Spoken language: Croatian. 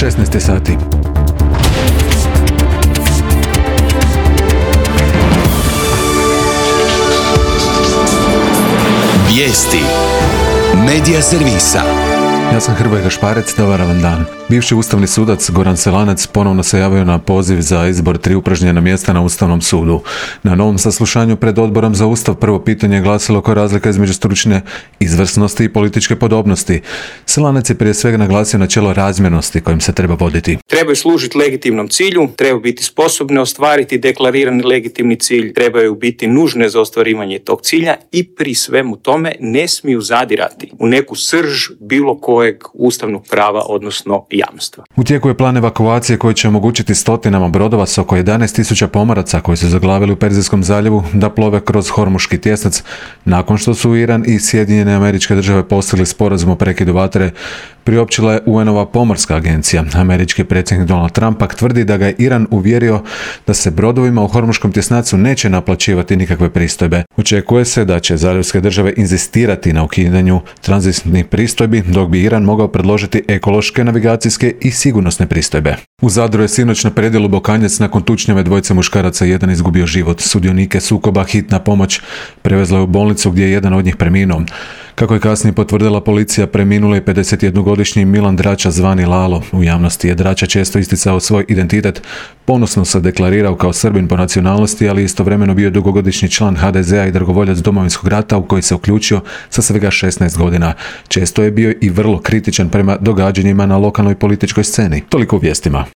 16 sati. Vijesti Medija servisa. Ja sam Hrvoje Gašparec, dobar vam dan. Bivši ustavni sudac Goran Selanec ponovno se javio na poziv za izbor 3 upražnjena mjesta na Ustavnom sudu. Na novom saslušanju pred Odborom za Ustav prvo pitanje je glasilo koja je razlika između stručne izvrsnosti i političke podobnosti. Selanec je prije svega naglasio načelo razmjernosti kojim se treba voditi. Trebaju služiti legitimnom cilju, trebaju biti sposobne ostvariti deklarirani legitimni cilj, trebaju biti nužne za ostvarivanje tog cilja i pri svemu tome ne smiju zadirati u neku srž bilo kojeg ustavnog prava, odnosno jamstva. U tijeku je plan evakuacije koji će omogućiti stotinama brodova s oko 11.000 pomoraca koji su zaglavili u Perzijskom zaljevu da plove kroz Hormuški tjesnac nakon što su Iran i Sjedinjene Američke Države postigli sporazum o prekidu vatre, priopćila je UN-ova pomorska agencija. Američki predsjednik Donald Trump pak tvrdi da ga je Iran uvjerio da se brodovima u Hormuškom tjesnacu neće naplaćivati nikakve pristojbe. Očekuje se da će zaljevske države inzistirati na ukidanju tranzitnih pristojbi, dok bi Iran mogao predložiti ekološke, navigacijske i sigurnosne pristojbe. U Zadru je sinoć na predjelu Bokanjac nakon tučnjave dvojice muškaraca jedan izgubio život. Sudionike sukoba hitna pomoć prevezla je u bolnicu gdje je jedan od njih preminuo. Kako je kasnije potvrdila policija, preminulo je 51-godišnji Milan Drača zvani Lalo. U javnosti je Drača često isticao svoj identitet, ponosno se deklarirao kao Srbin po nacionalnosti, ali istovremeno bio dugogodišnji član HDZ-a i dragovoljac Domovinskog rata u koji se uključio sa svega 16 godina. Često je bio i vrlo kritičan prema događanjima na lokalnoj političkoj sceni. Toliko u vijestima.